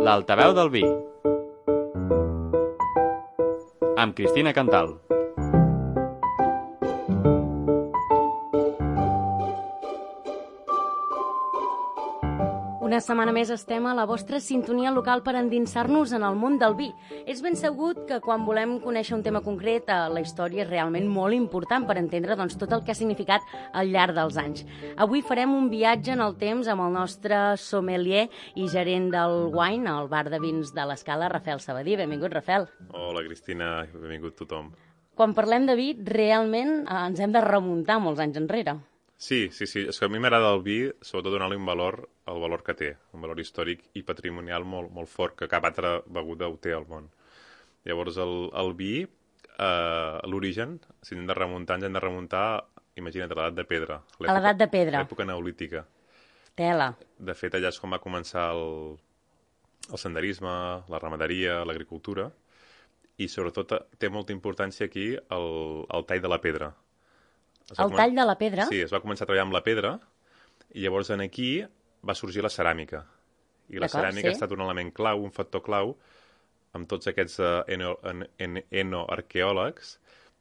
L'altaveu del vi, amb Cristina Cantal. Una setmana més estem a la vostra sintonia local per endinsar-nos en el món del vi. És ben segut que quan volem conèixer un tema concret, la història és realment molt important per entendre tot el que ha significat al llarg dels anys. Avui farem un viatge en el temps amb el nostre sommelier i gerent del Wine, al bar de vins de l'Escala, Rafael Sabadí. Benvingut, Rafael. Hola, Cristina. Benvingut tothom. Quan parlem de vi, realment ens hem de remuntar molts anys enrere. Sí. És que a mi m'agrada el vi, sobretot donar-li un valor, el valor que té, un valor històric i patrimonial molt fort, que cap altra beguda ho té al món. Llavors, el vi, l'origen, si hem de remuntar, imagina't, a l'edat de pedra. A l'edat de pedra. L'època neolítica. Tela. De fet, allà és com va començar el senderisme, la ramaderia, l'agricultura, i sobretot té molta importància aquí el tall de la pedra. El tall de la pedra? Sí, es va començar a treballar amb la pedra i llavors aquí va sorgir la ceràmica. I la ceràmica ha estat un element clau, un factor clau, amb tots aquests enoarqueòlegs,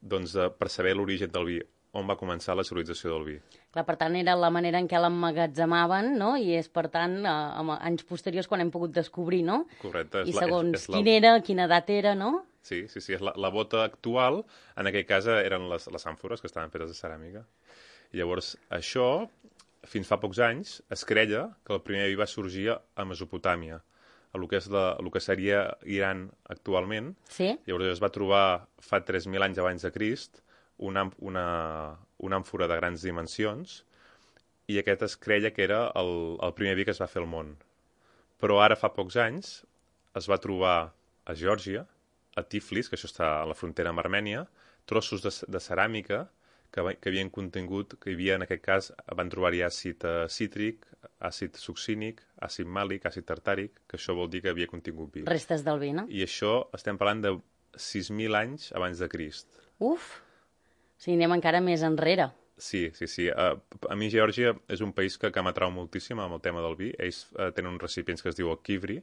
per saber l'origen del vi, on va començar la civilització del vi. Clar, per tant, era la manera en què l'emmagatzemaven, no? I és, per tant, anys posteriors quan hem pogut descobrir, no? Correcte. I segons quina era, quina edat era, no? Sí, és la bota actual, en aquell cas eren les àmfores que estaven fetes de ceràmica. I llavors, això, fins fa pocs anys, es creia que el primer vi va sorgir a Mesopotàmia, el que seria Iran actualment. Sí. Llavors es va trobar fa 3.000 anys abans de Crist una àmfora de grans dimensions i aquest es creia que era el primer vi que es va fer al món. Però ara, fa pocs anys, es va trobar a Geòrgia, a Tiflis, que això està a la frontera amb Armènia, trossos de ceràmica que havien contingut, que hi havia, en aquest cas, van trobar-hi àcid cítric, àcid succínic, àcid màlic, àcid tartàric, que això vol dir que havia contingut vi. Restes del vi, no? I això estem parlant de 6.000 anys abans de Crist. Uf! O sigui, anem encara més enrere. Sí. A mi Geòrgia és un país que m'atrau moltíssim amb el tema del vi. Ells tenen uns recipients que es diu el kivri,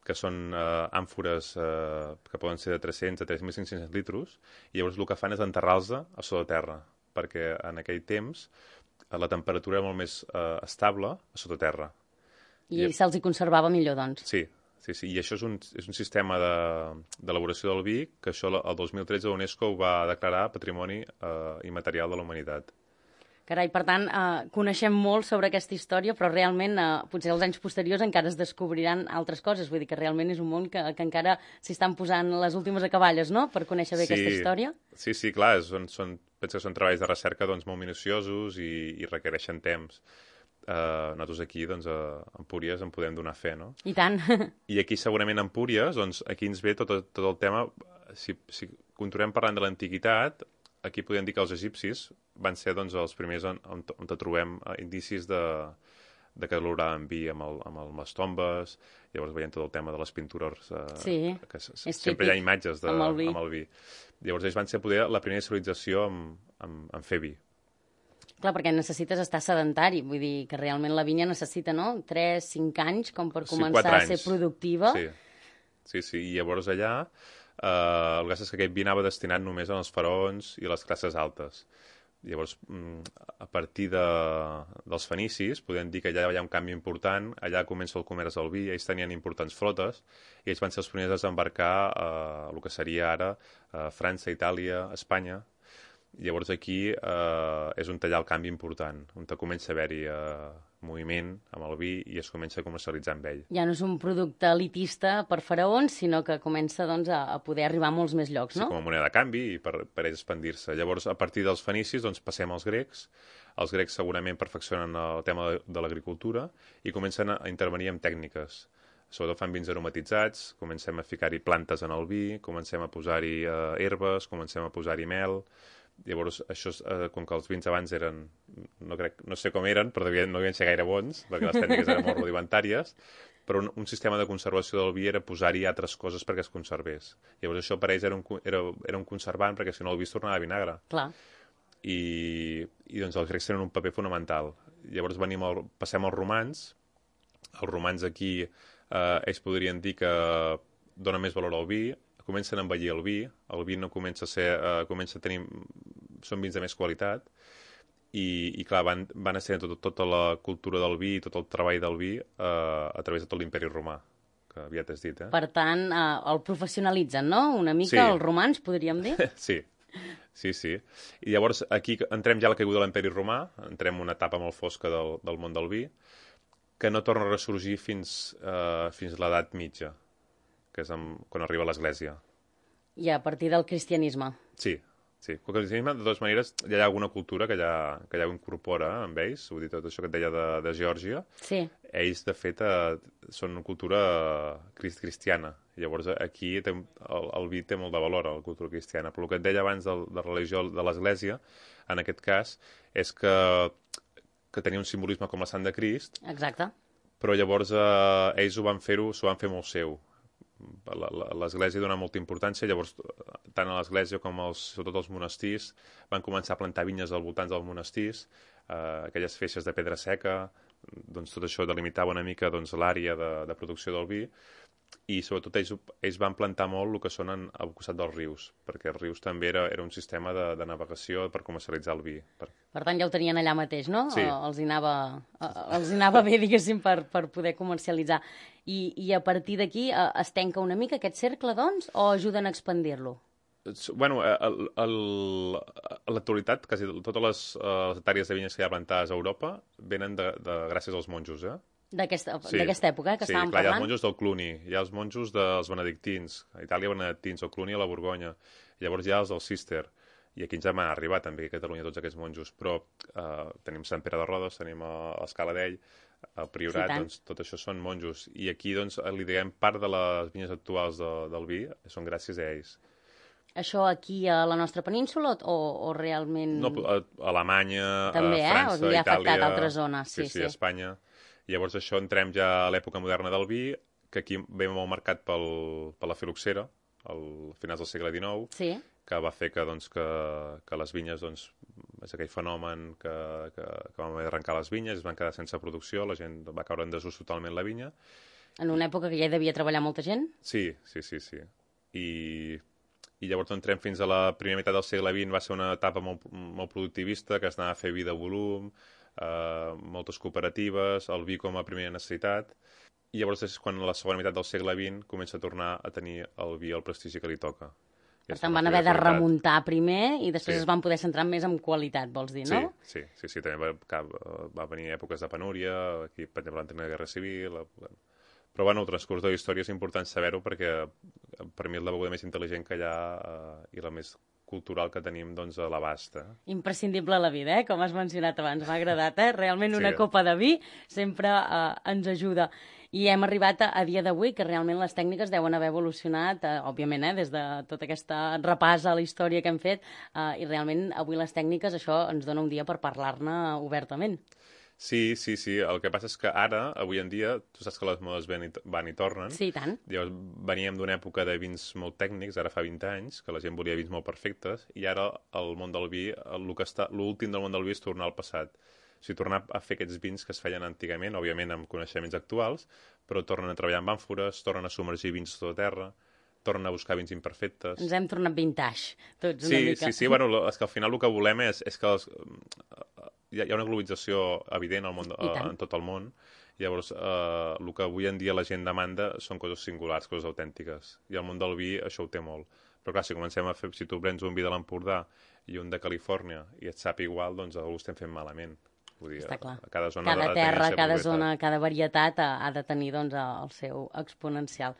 que són àmfores que poden ser de 300 a 3.500 litres, i llavors el que fan és enterrar-los a sota terra, perquè en aquell temps la temperatura era molt més estable a sota terra. I se'ls hi conservava millor, doncs. Sí. I això és un sistema d'elaboració del vi que això el 2013 l'UNESCO ho va declarar Patrimoni Immaterial de la Humanitat. Carai, per tant, coneixem molt sobre aquesta història, però realment, potser als anys posteriors encara es descobriran altres coses. Vull dir que realment és un món que encara s'hi estan posant les últimes acaballes, no?, per conèixer bé aquesta història. Sí, clar, penso que són treballs de recerca molt minuciosos i requereixen temps. Nosaltres aquí, a Empúries, en podem donar fe, no? I tant. I aquí, segurament, a Empúries, aquí ens ve tot el tema. Si continuem parlant de l'antiguitat, aquí podem dir que els egipcis van ser els primers on trobem indicis de que elaboraven vi amb les tombes. Llavors veiem tot el tema de les pintures, que sempre hi ha imatges amb el vi. Llavors ells van ser poder la primera civilització en fer vi. Clar, perquè necessites estar sedentari, vull dir que realment la vinya necessita, no?, 3-5 anys com per començar a ser productiva. Sí, i llavors allà el que és que aquest vi anava destinat només als faraons i a les classes altes. Llavors, a partir dels fenicis, podem dir que allà hi ha un canvi important, allà comença el comerç del vi, ells tenien importants flotes, i ells van ser els primers a desembarcar el que seria ara França, Itàlia, Espanya. Llavors aquí és on hi ha el canvi important, on comença a haver-hi moviment amb el vi i es comença a comercialitzar amb ell. Ja no és un producte elitista per faraons, sinó que comença a poder arribar a molts més llocs, no? Sí, com a moneda de canvi i per ells expandir-se. Llavors, a partir dels fenicis, passem als grecs. Els grecs segurament perfeccionen el tema de l'agricultura i comencen a intervenir amb tècniques. Sobretot fan vins aromatitzats, comencem a ficar-hi plantes en el vi, comencem a posar-hi herbes, comencem a posar-hi mel. Llavors, això, com que els vins abans eren, no sé com eren, però no devien ser gaire bons, perquè les tècniques eren molt rudimentàries, però un sistema de conservació del vi era posar-hi altres coses perquè es conservés. Llavors, això per ells era un conservant, perquè si no el vi es tornava vinagre. Clar. I els grecs tenen un paper fonamental. Llavors passem als romans. Els romans aquí ells podrien dir que dona més valor al vi, comencen a envellir el vi no comença a ser, comença a tenir, són vins de més qualitat, i clar, van estrenant tota la cultura del vi, tot el treball del vi a través de tot l'imperi romà, que aviat has dit, Per tant, el professionalitzen, no? Una mica, Sí. els romans, podríem dir? Sí. I llavors aquí entrem ja a la caiguda de l'imperi romà, entrem en una etapa molt fosca del món del vi, que no torna a ressorgir fins a l'edat mitja, que és quan arriba l'Església. I a partir del cristianisme. Sí. El cristianisme, de totes maneres, ja hi ha alguna cultura que ja ho incorpora amb ells, ho dit tot això que et deia de Geòrgia. Sí. Ells, de fet, són una cultura cristiana. Llavors, aquí el vi té molt de valor a la cultura cristiana. Però el que et deia abans de la religió de l'Església, en aquest cas, és que tenia un simbolisme com la Sant de Crist. Exacte. Però llavors ells s'ho van fer molt seu. L'Església dona molta importància, llavors tant a l'Església com sobretot els monestirs van començar a plantar vinyes al voltant dels monestirs, aquelles feixes de pedra seca, doncs tot això delimitava una mica l'àrea de producció del vi, i sobretot ells van plantar molt el que són al costat dels rius, perquè els rius també era un sistema de navegació per comercialitzar el vi. Per tant, ja ho tenien allà mateix, no? Sí. Els hi anava bé, diguéssim, per poder comercialitzar. I a partir d'aquí es tanca una mica aquest cercle, doncs, o ajuden a expandir-lo? Bueno, a l'actualitat, quasi totes les hectàrees de vinyes que hi ha plantades a Europa venen gràcies als monjos, D'aquesta època, que sí, estàvem clar, hi ha parlant? els monjos del Cluny, hi ha els monjos dels benedictins, a Itàlia benedictins, el Cluny a la Borgonya, llavors hi ha els del Cister, i aquí ens hem arribat també a Catalunya tots aquests monjos, però tenim Sant Pere de Rodes, tenim l'Escaladell, el Priorat, Sí, doncs tot això són monjos, i aquí doncs li diguem part de les vinyes actuals del vi són gràcies a ells. Això aquí a la nostra península o realment... No, a Alemanya, també, a França, us havia Itàlia... afectat altres zones, sí. A Espanya. Llavors això entrem ja a l'època moderna del vi, que aquí ve molt marcat per la filoxera, al finals del segle XIX, Sí. que va fer que les vinyes, doncs, és aquell fenomen que van haver d'arrencar les vinyes, es van quedar sense producció, la gent va caure en desús totalment la vinya. En una època que ja hi devia treballar molta gent? Sí. I llavors entrem fins a la primera meitat del segle XX, va ser una etapa molt productivista, que es anava a fer vi de volum, moltes cooperatives, el vi com a primera necessitat, i llavors és quan a la segona meitat del segle XX comença a tornar a tenir el vi el prestigi que li toca. Per tant, van haver de remuntar primer i després Sí. es van poder centrar més en qualitat, vols dir, no? Sí, també va venir èpoques de penúria, aquí, per exemple, l'anterior guerra civil... Però, bueno, el transcurs de la història és important saber-ho perquè per mi és la beguda més intel·ligent que hi ha i la més cultural que tenim, doncs, a l'abast. Imprescindible a la vida, com has mencionat abans. M'ha agradat, Realment una Sí. copa de vi sempre ens ajuda. I hem arribat a dia d'avui, que realment les tècniques deuen haver evolucionat, òbviament, des de tot aquest repàs a la història que hem fet, i realment avui les tècniques, això ens dona un dia per parlar-ne obertament. Sí. El que passa és que ara, avui en dia, tu saps que les modes van i tornen. Sí, i tant. Llavors, veníem d'una època de vins molt tècnics, ara fa 20 anys, que la gent volia vins molt perfectes, i ara el món del vi, l'últim del món del vi és tornar al passat. O sigui, tornar a fer aquests vins que es feien antigament, òbviament amb coneixements actuals, però tornen a treballar amb àmfores, tornen a submergir vins sota terra, tornen a buscar vins imperfectes. Ens hem tornat vintage, tots una mica. Sí, bueno, és que al final el que volem és que hi ha una globalització evident en tot el món, llavors el que avui en dia la gent demanda són coses singulars, coses autèntiques, i el món del vi això ho té molt. Però clar, si comencem a fer, si tu prens un vi de l'Empordà i un de Califòrnia i et sap igual, doncs ho estem fent malament. Vull dir, Està clar. Cada zona Cada ha de tenir la terra, seva cada propietat. zona, cada varietat ha de tenir doncs, el seu exponencial.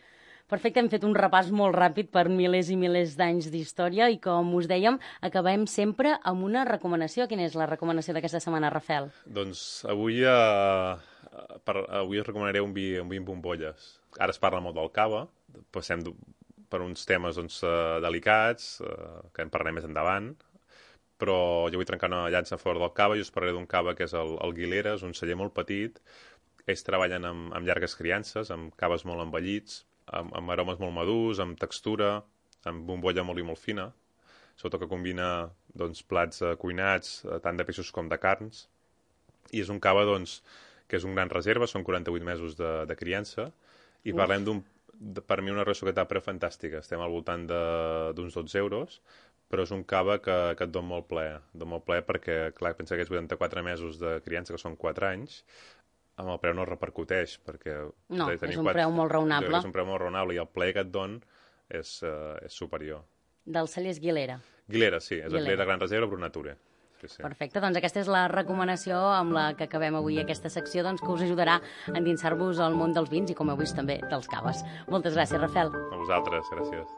Perfecte, hem fet un repàs molt ràpid per milers i milers d'anys d'història i, com us dèiem, acabem sempre amb una recomanació. Quina és la recomanació d'aquesta setmana, Rafel? Doncs avui us recomanaré un vi amb bombolles. Ara es parla molt del cava, passem per uns temes delicats, que en parlarem més endavant, però jo vull trencar una llança a favor del cava i us parlaré d'un cava que és el Guilera, és un celler molt petit. Ells treballen amb llargues criances, amb caves molt envellits, amb aromes molt madurs, amb textura, amb bombolla molt i molt fina, sobretot que combina plats cuinats, tant de peixos com de carns, i és un cava que és un gran reserva, són 48 mesos de criança, I parlem per mi una ració que tapa fantàstica. Estem al voltant d'uns 12 euros, però és un cava que et dona molt plaer perquè, clar, pensa que és 84 mesos de criança, que són 4 anys, amb el preu no repercuteix, perquè... No, és un preu molt raonable. És un preu molt raonable i el plaer que et dona és superior. Del celler Guilera. Guilera, sí, és el celler de Gran Reserva, Brunature. Sí. Perfecte, doncs aquesta és la recomanació amb la que acabem avui aquesta secció, doncs, que us ajudarà a endinsar-vos al món dels vins i, com heu vist, també dels caves. Moltes gràcies, Rafel. A vosaltres, gràcies.